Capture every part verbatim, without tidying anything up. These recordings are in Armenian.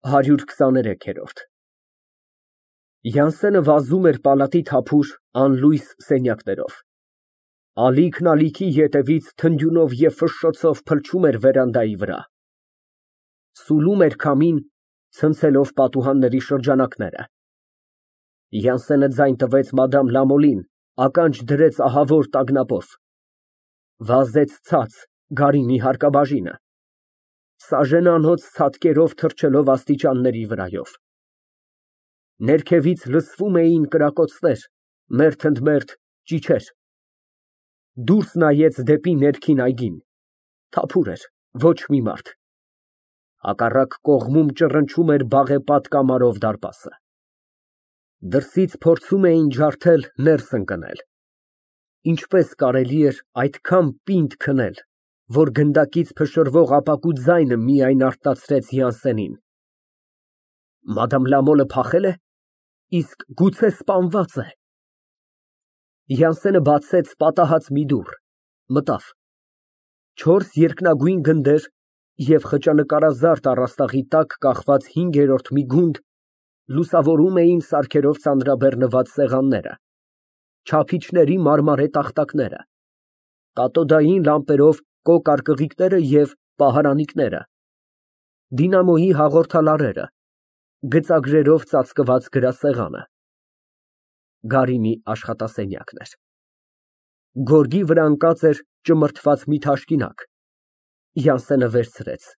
ՀԱՐՅՈՒՐ քսաներեքերորդ Յանսենը վազում էր պալատի թափուր, անլույս սենյակներով, ալիքն ալիքի ետևից թնդյունով և ֆշշոցով փլչում էր վերանդայի վրա, սուլում էր քամին, ցնցելով պատուհանների շրջանակները։ Յանսենը ձայն տվեց մադամ Լամոլին, ականջ դրեց ահավոր տագնապով, վազեց ցած գարինի հարկաբաժինը, սաժենանոց ցատկերով թռչելով աստիճանների վրայով։ Ներքևից լսվում էին կրակոցներ, մերթ ընդ մերթ ճիչեր։ Դուրս նայեց դեպի ներքին այգին, թափուր էր, ոչ մի մարդ։ Հակառակ կողմում ճռնչում էր բաղեպատ կամարով դարպասը։ Դրսից փորձում էին ջարդել ներս ընկնել։ Ինչպես կարելի էր այդքան պինդ քնել, որ գնդակից փշրվող ապակու ձայնը միայն արտացրեց Յանսենին։ Մադամ փախե՞լ է, իսկ գուցե սպանվա՞ծ է։ Յանսենը բացեց պատահած մի դուռ, մտավ։ Չորս երկնագույն գնդեր և խճանկարազարդ առաստաղի տակ կախված հինգերորդ մի գունդ լուսավորում էին սարքերով ծանրաբեռնված սեղանները, չափիչների մարմարե տախտակները, կաթոդային լամպերով կոկ արկղիկները և պահարանիկները, դինամոյի հաղորդալարերը, գծագրերով ծածկված գրասեղանը։ Գարինի աշխատասենյակն էր։ Գորգի վրա ընկած էր ճմրթված մի թաշկինակ։ Յանսենը վերցրեց։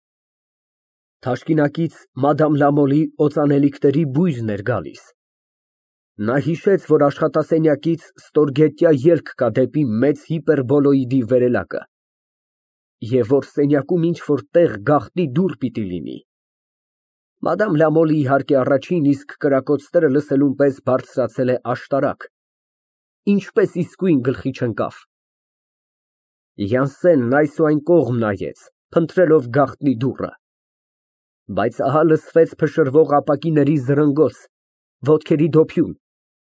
Թաշկինակից մադամ Լամոլի օծանելիքների բույրն էր գալիս։ Նա հիշեց, որ աշխատասենյակից ստորգետնյա ելք կա դեպի մեծ հիպերբոլոիդի վերելակը, և որ սենյակում ինչ֊որ տեղ գաղտնի դուռ պիտի լինի։ Մադամ Լամոլը, իհարկե, առաջին իսկ կրակոցները լսելուն պես բարձրացել է աշտարակ, ինչպես իսկույն գլխի չընկավ։ Յանսենն այս ու այն կողմ նայեց, փնտրելով գաղտնի դուռը, բայց ահա լսվեց փշրվող ապակիների զրնգոց, ոտքերի դոփյուն,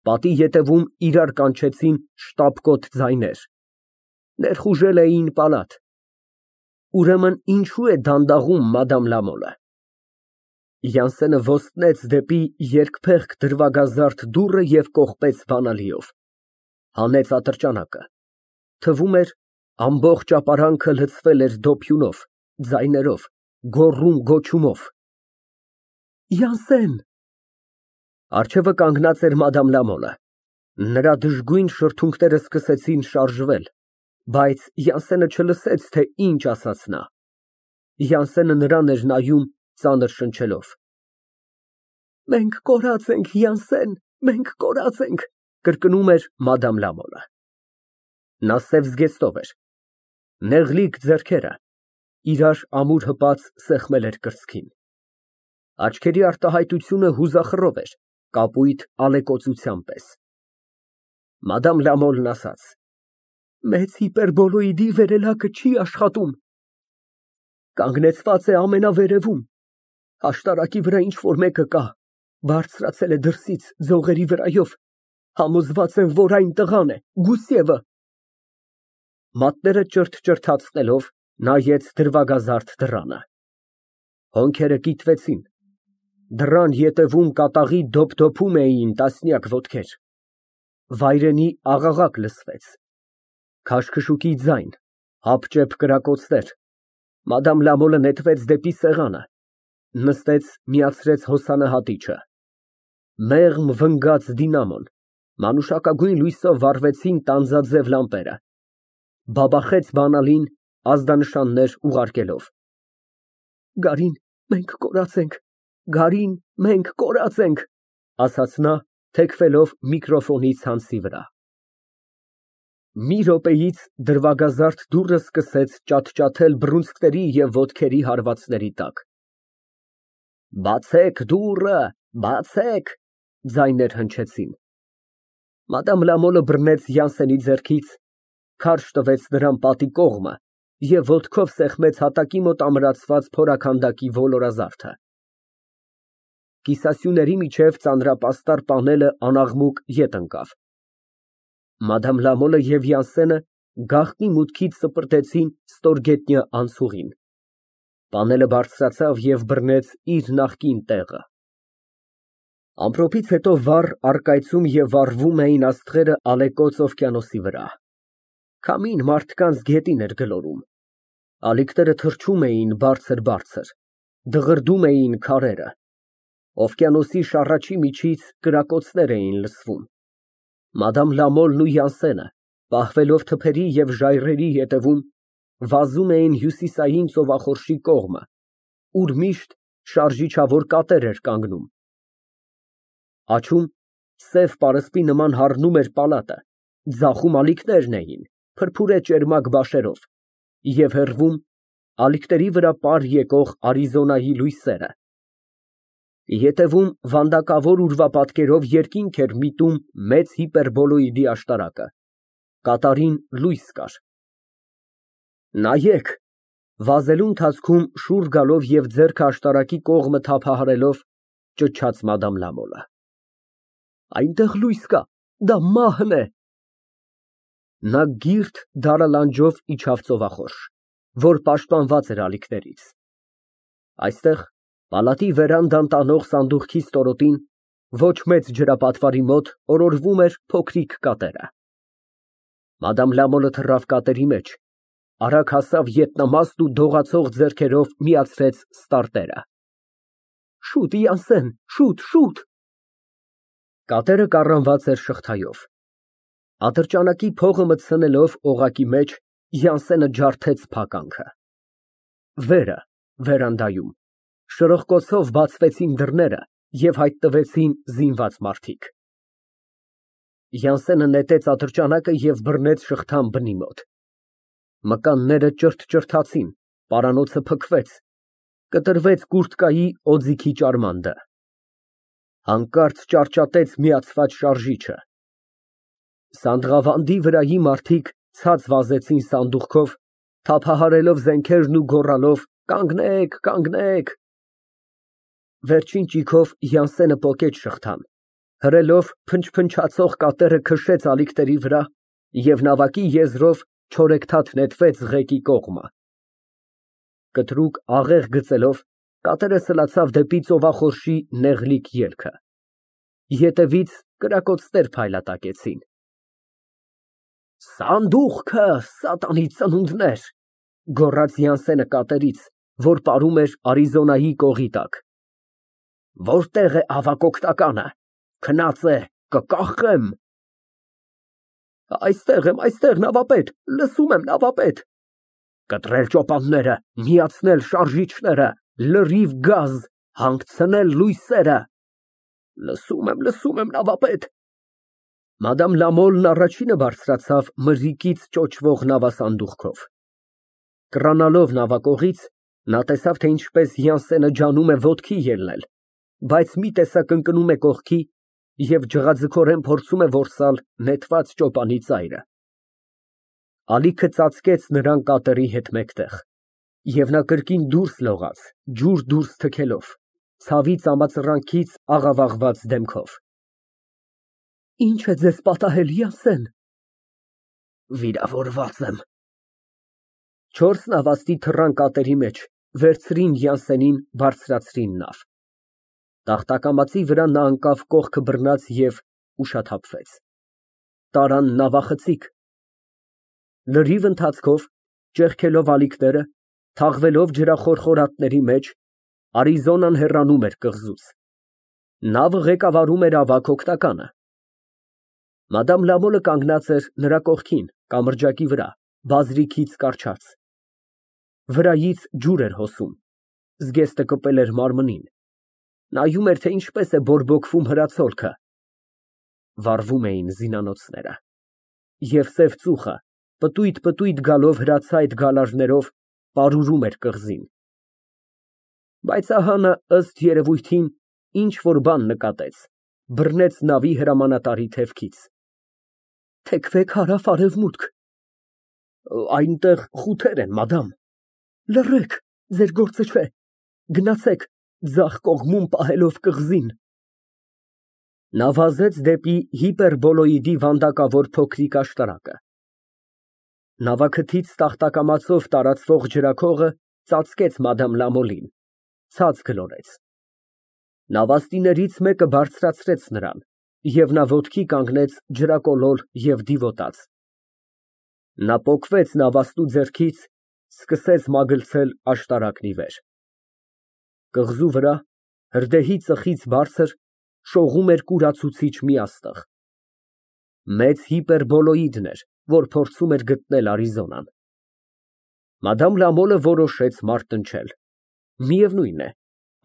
պատի ետևում իրար կանչեցին շտապկոտ ձայներ, ներխուժել էին պալատ։ Ուրեմն ինչո՞ւ է դանդաղում մադամ Լամոլը։ Յանսենը ոստնեց դեպի երկփեղկ դրվագազարդ դուռը և կողպեց բանալիով, հանեց ատրճանակը, թվում էր, ամբողջ ապարանքը լցվել էր դոփյունով, ձայներով, գոռում֊գոչումով։ Յանսեն։ Առջևը կանգնած էր մադամ Լամոլը, նրա դժգույն շրթունքները սկսեցին շարժվել, բայց Յանսենը չլսեց, թե ինչ ասաց նա։ Յանսենը նրան էր նայում ծանր շնչելով։ Մենք կորած ենք, Յանսեն, մենք կորած ենք, կրկնում էր մադամ Լամոլը։ Նա սև զգեստով էր, նեղլիկ ձեռքերը, իրար ամուր հպած սեղմել էր կրծքին։ Աչքերի արտահայտությունը հուզախռով էր, կապույտ ալեկոծության պես։ Մադամ Լամոլն ասաց. Մեծ հիպերբոլոիդի վերելակը չի աշխատում։ Կանգնեցված է ամենավերևում, աշտարակի վրա ինչ֊որ մեկը կա, բարձրացել է դրսից ձողերի վրայով, համոզված եմ, որ այն տղան է, Գուսիևը։ Մատները ճրթ֊ճրթացնելով նայեց դրվագազարդ դռանը։ Հոնքերը կիտվեցին, դռան ետևում կատաղի դոփ֊դոփում էին տասնյակ ոտքեր։ Վայրենի աղաղակ լսվեց, քաշքշուկի ձայն, հապճեպ կրակոցներ։ Մադամ Լամոլը նետվեց դեպի սեղանը, նստեց, միացրեց հոսանը հատիչը։ Մեղմ վնգաց դինամոն, մանուշակագույն լույսով վառվեցին տանձաձև լամպերը, բաբախեց բանալին, ազդանշաններ ուղարկելով։ Գարին, մենք կորած ենք, Գարին, մենք կորած ենք, ասաց նա, թեքվելով միկրոֆոնի ցանցի վրա։ Մի րոպեից դրվագազարդ դուռը սկսեց ճաթ֊ճաթել բռունցքների և ոտքերի հարվածների տակ։ Բացեք դուռը, բացեք, ձայներ հնչեցին։ Մադամ Լամոլը բռնեց Յանսենի ձեռքից, քարշ տվեց նրան պատի կողմը և ոտքով սեղմեց հատակի մոտ ամրացված փորաքանդակի ոլորազարդը։ Կիսասյուների միջև ծանրապաստառ պանելը անաղմուկ ետ ընկավ։ Մադամ Լամոլը և Յանսենը գաղտնի մուտքից սպրտեցին ստորգետնյա անցուղին։ Պանելը բարձրացավ և բռնեց իր նախկին տեղը։ Ամպրոպից հետո վառ առկայծում և վառվում էին աստղերը ալեկոծ օվկիանոսի վրա։ Քամին մարդկանց գետին էր գլորում, ալիքները թռչում էին բարձր֊բարձր, դղրդում էին քարերը, օվկիանոսի շառաչի միջից կրակոցներ էին լսվում։ Մադամ Լամոլն ու Յանսենը, պահվելով թփերի և ժայռերի ետևում, վազում էին հյուսիսային ծովախորշի կողմը, ուր միշտ շարժիչավոր կատեր էր կանգնում։ Աջում սև պարսպի նման հառնում էր պալատը, ձախում ալիքներն էին, փրփուրե ճերմակ բաշերով, և հեռվում ալիքների վրա պար եկող Արիզոնայի լույսերը։ Ետևում վանդակավոր ուրվապատկերով երկինք էր միտում մեծ հիպերբոլոիդի աշտարակը, կատարին լույս կար։ Նայեք, վազելու ընթացքում շուռ գալով և ձեռքը աշտարակի կողմը թափահարելով, ճչաց Մադամ Լամոլը։ Այնտեղ լույս կա, դա մահն է։ Նա կիրթ դարալանջով իջավ ծովախորշ, որ պաշտպանված էր ալիքներից։ Այստեղ, պալատի վերանդան տանող սանդուղքի ստորոտին, ոչ մեծ ջրապատվարի մոտ օրորվում էր փոքրիկ կատերը։ Մադամ Լամոլը թռավ կատերի մեջ, արագ հասավ ետնամաստ ու դողացող ձեռքերով միացրեց ստարտերը։ Շուտ, Յանսեն, շուտ, շուտ։ Կատերը կառանված էր շղթայով։ Ատրճանակի փողը մտցնելով օղակի մեջ, Յանսենը ջարդեց փականքը։ Վերը, վերանդայում, շրխկոցով բացվեցին դռները և հայտնվեցին զինված մարդիկ։ Յանսենը նետեց ատրճանակը և բռնեց շղթան բնի մոտ։ Մկանները ճրթ֊ճրթացին, պարանոցը փքվեց, կտրվեց կուրծքայի օձիքի ճարմանդը։ Հանկարծ ճարճատեց միացված շարժիչը։ Սանդղավանդի վրայի մարդիկ ցած վազեցին սանդուղքով, թափահարելով զենքերն ու գոռալով. «Կանգնեք, կանգնեք»։ Վերջին ճիգով Յանսենը պոկեց շղթան, հրելով փնչփնչացող կատերը քշեց ալիքների վրա և նավակի եզրով չորեքթաթ նետվեց ղեկի կողմը։ Կտրուկ աղեղ գծելով, կատերը սլացավ դեպի ծովախորշի նեղլիկ ելքը։ Ետևից կրակոցներ փայլատակեցին։ Սանդուղքը, սատանի ծնունդներ, գոռաց Յանսենը կատերից, որ պարում էր Արիզոնայի կողի տակ։ Որտե՞ղ է ավագ օգնականը, քնած է, կկախեմ։ Այստեղ եմ, այստեղ, նավապետ, լսում եմ, նավապետ։ Կտրել ճոպանները, միացնել շարժիչները, լրիվ գազ, հանգցնել լույսերը։ Լսում եմ, լսում եմ, նավապետ։ Մադամ Լամոլն առաջինը բարձրացավ մրրիկից ճոճվող նավասանդուղքով։ Կռանալով նավակողից, նա տեսավ, թե ինչպես Յանսենը ջանում է ոտքի ելնել, բայց մի տեսակ ընկնում է կողքի և ջղաձգորեն փորձում է որսալ նետված ճոպանի ծայրը։ Ալիքը ծածկեց նրան կատերի հետ մեկտեղ, և նա կրկին դուրս լողաց, ջուր դուրս թքելով, ցավի ծամածռանքից աղավաղված դեմքով։ Ի՞նչ է ձեզ պատահել, Յանսեն։ Վիրավորված եմ։ Չորս նավաստի թռան կատերի մեջ, վերցրին Յանսենին, բարձրացրին նավ։ Տախտակամածի վրա նա ընկավ կողքը բռնած և ուշաթափվեց։ Տարան նավախցիկ։ Լրիվ ընթացքով, ճեղքելով ալիքները, թաղվելով ջրախորխորատների մեջ, Արիզոնան հեռանում էր կղզուց։ Նավը ղեկավարում էր ավագ օգնականը։ Մադամ Լամոլը կանգնած էր նրա կողքին, կամրջակի վրա, բազրիքից կառչած։ Վրայից ջուր էր հոսում, զգեստը կպել էր մարմնին, նայում էր, թե ինչպես է բորբոքվում հրացոլքը։ Վառվում էին զինանոցները, և սև ծուխը, պտույտ֊պտույտ գալով հրացայտ գալարներով, պարուրում էր կղզին։ Բայց ահա նա, ըստ երևույթին, ինչ֊որ բան նկատեց, բռնեց նավի հրամանատարի թևքից։ Թեքվեք հարավ֊արևմուտք։ Այնտեղ խութեր են, մադամ։ Լռեք, ձեր գործը չէ, գնացեք, ձախ կողմում պահելով կղզին։ Նա վազեց դեպի հիպերբոլոիդի վանդակավոր փոքրիկ աշտարակը։ Նավաքթից տախտակամածով տարածվող ջրաքողը ծածկեց մադամ Լամոլին, ցած գլորեց։ Նավաստիներից մեկը բարձրացրեց նրան, և նա ոտքի կանգնեց ջրակոլոր և դիվոտած։ Նա պոկվեց նավաստու ձեռքից, սկսեց մագլցել աշտարակն ի վեր։ Կղզու վրա, հրդեհի ծխից բարձր, շողում էր կուրացուցիչ մի աստղ։ Մեծ հիպերբոլոիդն էր, որ փորձում էր գտնել Արիզոնան։ Մադամ Լամոլը որոշեց մարտնչել։ Միևնույն է,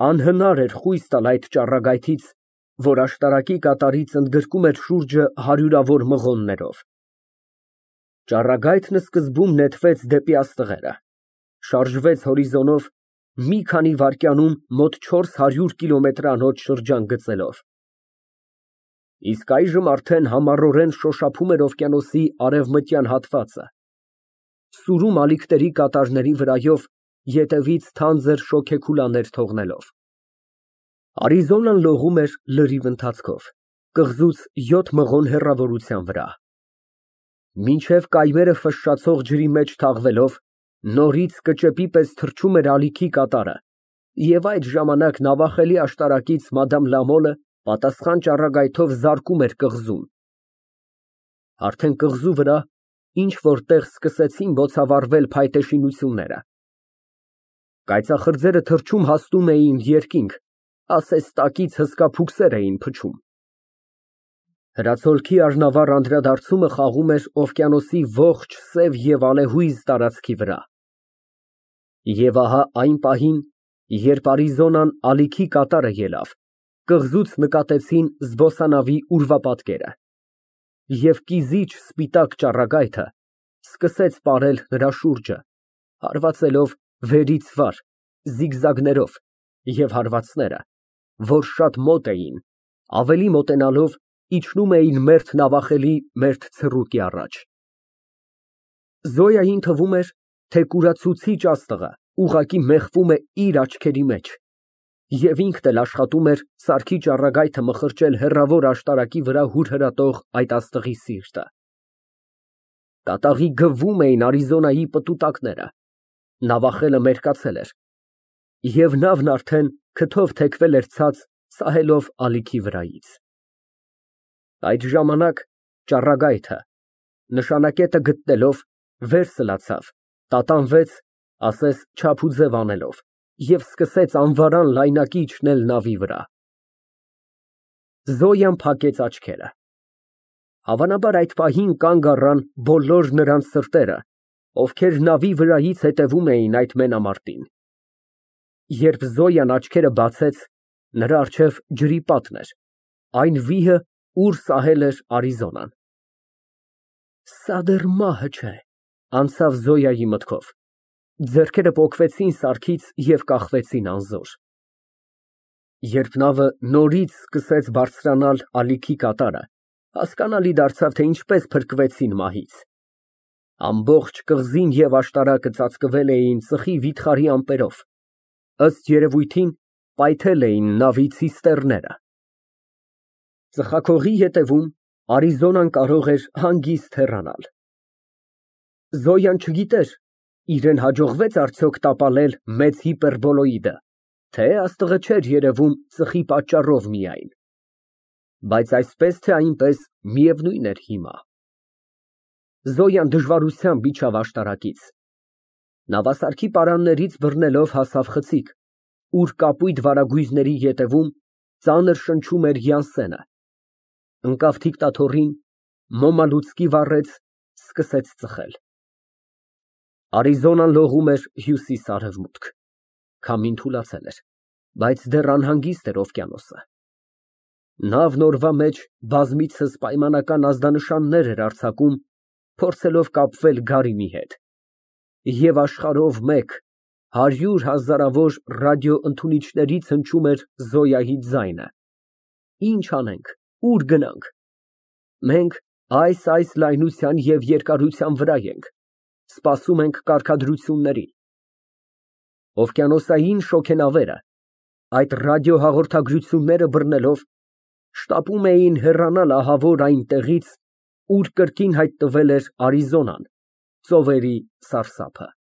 անհնար էր խույս տալ այդ ճառագայթից, որ աշտարակի կատարից ընդգրկում էր շուրջը հարյուրավոր մղոններով։ Ճառագայթն սկզբում նետվեց դեպի աստղերը, շարժվեց հորիզոնով, մի քանի վայրկյանում մոտ չորս հարյուր կիլոմետրանոց շրջան գծելով։ Իսկ այժմ արդեն համառորեն շոշափում էր օվկիանոսի արևմտյան հատվածը, սուրում ալիքների կատարների վրայով, ետևից թանձր շոգեքուլաներ թողնելով։ Արիզոնան լողում էր լրիվ ընթացքով, կղզուց յոթ մղոն հեռավորության վրա։ Մինչև կայմերը ֆշշացող ջրի մեջ թաղվելով, նորից կճեպի պես թռչում էր ալիքի կատարը, և այդ ժամանակ նավախելի աշտարակից մադամ Լամոլը պատասխան ճառագայթով զարկում էր կղզուն։ Արդեն կղզու վրա ինչ֊որ տեղ սկսեցին բոցավառվել փայտե շինությունները։ Կայծախրձերը թռչում հասնում էին երկինք, ասես տակից հսկա փուքսեր էին փչում։ Հրացոլքի առնավառ անդրադարձումը խաղում էր օվկիանոսի ողջ սև և ալեհույզ տարածքի վրա։ Եվ ահա այն պահին, երբ Արիզոնան ալիքի կատարը ելավ, կղզուց նկատեցին զբոսանավի ուրվապատկերը, և կիզիչ սպիտակ ճառագայթը սկսեց պարել նրա շուրջը, հարվածելով վերից վար, զիգզագներով, և հարվածները, որ շատ մոտ էին, ավելի մոտենալով, իջնում էին մերթ նավախելի մերթ ցռուկի առաջ։ Զոյային թվում էր, թե կուրացուցիչ աստղը ուղղակի մեխվում է իր աչքերի մեջ, և ինքն էլ աշխատում էր սարքի ճառագայթը մխրճել հեռավոր աշտարակի վրա հուրհրատող այդ աստղի սիրտը։ Կատաղի գվում էին Արիզոնայի պտուտակները, նավախելը մերկացել էր, և նավն արդեն քթով թեքվել էր ցած, սահելով ալիքի վրայից։ Այդ ժամանակ ճառագայթը, նշանակետը գտնելով, վեր սլացավ, տատանվեց, ասես չափ ու ձև անելով, և սկսեց անվարան լայնակի իջնել նավի վրա։ Զոյան փակեց աչքերը։ Հավանաբար այդ պահին կանգ առան բոլոր նրանց սրտերը, ովքեր նավի վրայից հետևում էին այդ մենամարտին։ Երբ Զոյան աչքերը բացեց, նրա առջև ջրի պատն էր, այն վիհը, ուր սահել էր Արիզոնան։ Սա դեռ մահը չէ, անցավ Զոյայի մտքով, ձեռքերը պոկվեցին սարքից և կախվեցին անզոր։ Երբ նավը նորից սկսեց բարձրանալ ալիքի կատարը, հասկանալի դարձավ, թե ինչպես փրկվեցին մահից։ Ամբողջ կղզին և աշտարակը ծածկվել էին ծխի վիթխարի ամպերով, ըստ երևույթին, պայթել էին նավի ցիստեռները։ Ծխախողի ետևում Արիզոնան կարող էր հանգիստ հեռանալ։ Զոյան չգիտեր, իրան հաջողվե՞ց արդյոք տապալել մեծ հիպերբոլոիդը, թե աստղը չէր երևում ծխի պատճառով միայն։ Բայց այսպես թե այնպես միևնույն էր հիմա։ Զոյան դժվարությամբ իջավ աշտարակից։ Նավասարքի պարաններից բռնելով հասավ խցիկ, ուր կապույտ վարագույրների ետևում ծանր շնչում էր Յանսենը, ընկավ դիկտաթորին, մոմալուծկի վառեց, սկսեց ծխել։ Արիզոնան լողում էր հյուսիս֊արևմուտք, քամին թուլացել էր, բայց դեռ անհանգիստ էր օվկիանոսը։ Նավն օրվա մեջ բազմիցս պայմանական ազդանշաններ էր արձակում, փորձելով կապվել գարինի հետ, և աշխարհով մեկ, հարյուր հազարավոր ռադիոընդունիչներից հնչում էր Զոյայի ձայնը. «Ինչ անենք, ուր գնանք։ Մենք այս֊այս լայնության և երկարության վրա ենք, սպասում ենք կարգադրությունների»։ Օվկիանոսային շոգենավերը, այդ ռադիոհաղորդագրությունները բռնելով, շտապում էին հեռանալ ահավոր այն տեղից, ուր կրկին հայտնվել էր Արիզոնան, ծովերի սարսափը։